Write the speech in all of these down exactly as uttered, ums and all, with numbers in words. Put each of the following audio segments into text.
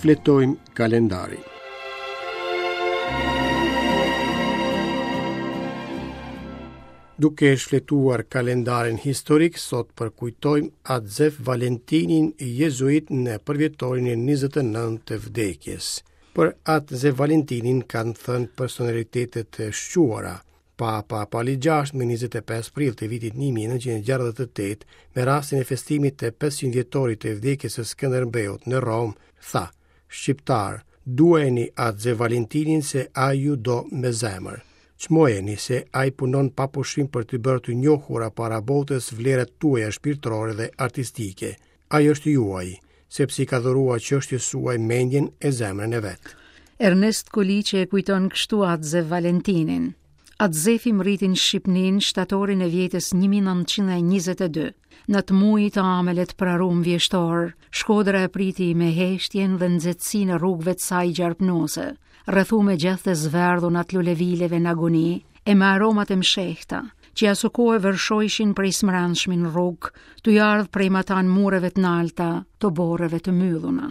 Shfletojmë kalendarin. Duke shfletuar kalendarin historik, sot përkujtojmë Atë Zef Valentinin jezuit në përvjetorin e njëzet e nëntë të vdekjes. Për Atë Zef Valentinin kanë thënë personalitete të shquara. Papa Pali gjashtë më njëzet e pesë prill të vitit një mijë e nëntëqind e gjashtëdhjetë e tetë, me rastin e festimit të pesëqind vjetorit të vdekjes së Skënderbeut në Romë, tha: Shqiptar, duajeni Atë Zef Valentinin se ai ju do me zemër. Çmojeni se ai punon pa pushim për të bërë të njohura para botës vlerat tuaja shpirtërore dhe artistike. Ai është juaj, sepse i ka dhuruar çështjes suaj mendjen e zemrën e vet. Ernest Koliqi e kujton kështu Atë Zef Valentinin. Atë Zefi mriti në Shqipëninë shtatorin e vjetës një mijë e nëntëqind e njëzet e dy. Në të mujit të amelet prarum vjeshtor, Shkodra e priti me heshtjen dhe nxehtësinë e rrugëve të saj gjarpnose, rrethu me gjethe të zverdhur atë lulevileve në agoni e me aromat e mshehta, që asokohe vërshojshin prej smrandshmi në rrugë, të ardhë prej matan mureve të nalta, të boreve të mbylluna.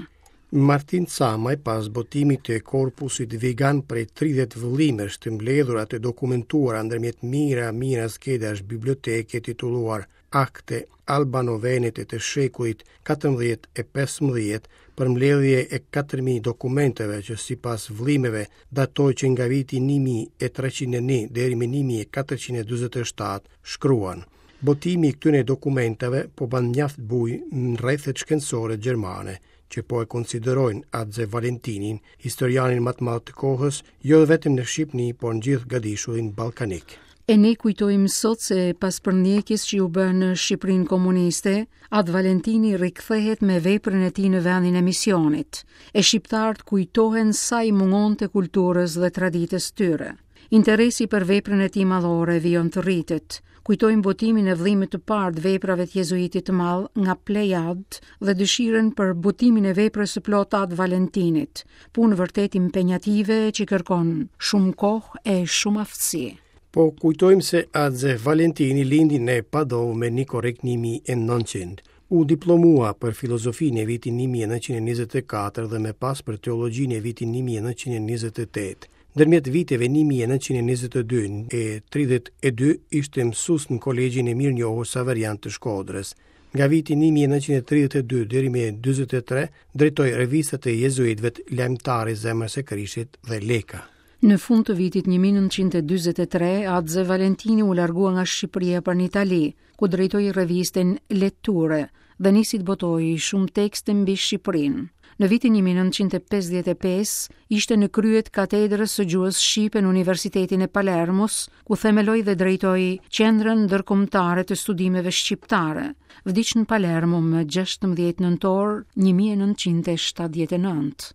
Martin Camaj, pas botimit të korpusit vegan prej tridhjetë vëllimesh të mbledhura të dokumentuara ndërmjet mijëra mijëra skedash biblioteke titulluar Akte Albano-Venete të shekullit katërmbëdhjetë e pesëmbëdhjetë, përmbledhje e katër mijë dokumenteve që sipas vëllimeve datoi që nga viti një mijë e treqind e një deri më një mijë e katërqind e dyzet e shtatë, shkruan: Botimi i këtyre dokumenteve po bën mjaft bujë në rrethet shkencore gjermane, që po e konsiderojnë Atë Zef Valentinin, historianin më të madh të kohës, jo vetëm në Shqipëni, por në gjithë gadishullin ballkanik. E ne kujtojmë sot se pas përndjekjes që u bë në Shqipërinë komuniste, Atë Valentini rikthehet me veprën e tij në vendin e misionit, e shqiptarët kujtohen sa i mungonte kulturës dhe traditës tyre. Interesi për veprën e tij madhore vijon të rritet. Kujtojmë botimin e vëllimit të parë të veprave të jezuitit të madh nga Plejad dhe dëshirën për botimin e veprës së plotë Atë Valentinit, punë vërtet impenjative që kërkon shumë kohë e shumë aftësi. Po kujtojmë se Atë Zef Valentini lindi në Padovë me një korrik një mijë e nëntëqind. U diplomua për filozofinë e vitin një mijë e nëntëqind e njëzet e katër dhe më pas për teologjinë e vitin një mijë e nëntëqind e njëzet e tetë. Ndërmjet viteve një mijë e nëntëqind e njëzet e dy e tridhjetë e dy ishte mësues në kolegjin e mirënjohur Saverian të Shkodrës. Nga viti një mijë e nëntëqind e tridhjetë e dy deri më dyzet e tre drejtoi revistat e jezuitëve Lajmëtari i Zemrës së Krishtit dhe Leka. Në fund të vitit një mijë e nëntëqind e dyzet e tre, Atë Zef Valentini u largua nga Shqipëria për në Itali, ku drejtoi revistën Letture dhe nisi të botojë shumë tekste mbi Shqipërinë. Në vitin një mijë e nëntëqind e pesëdhjetë e pesë ishte në krye të katedrës së gjuhës shqipe në Universitetin e Palermos, ku themeloi dhe drejtoi Qendrën Ndërkombëtare të Studimeve Shqiptare. Vdiq në Palermo më gjashtëmbëdhjetë nëntor një mijë e nëntëqind e shtatëdhjetë e nëntë.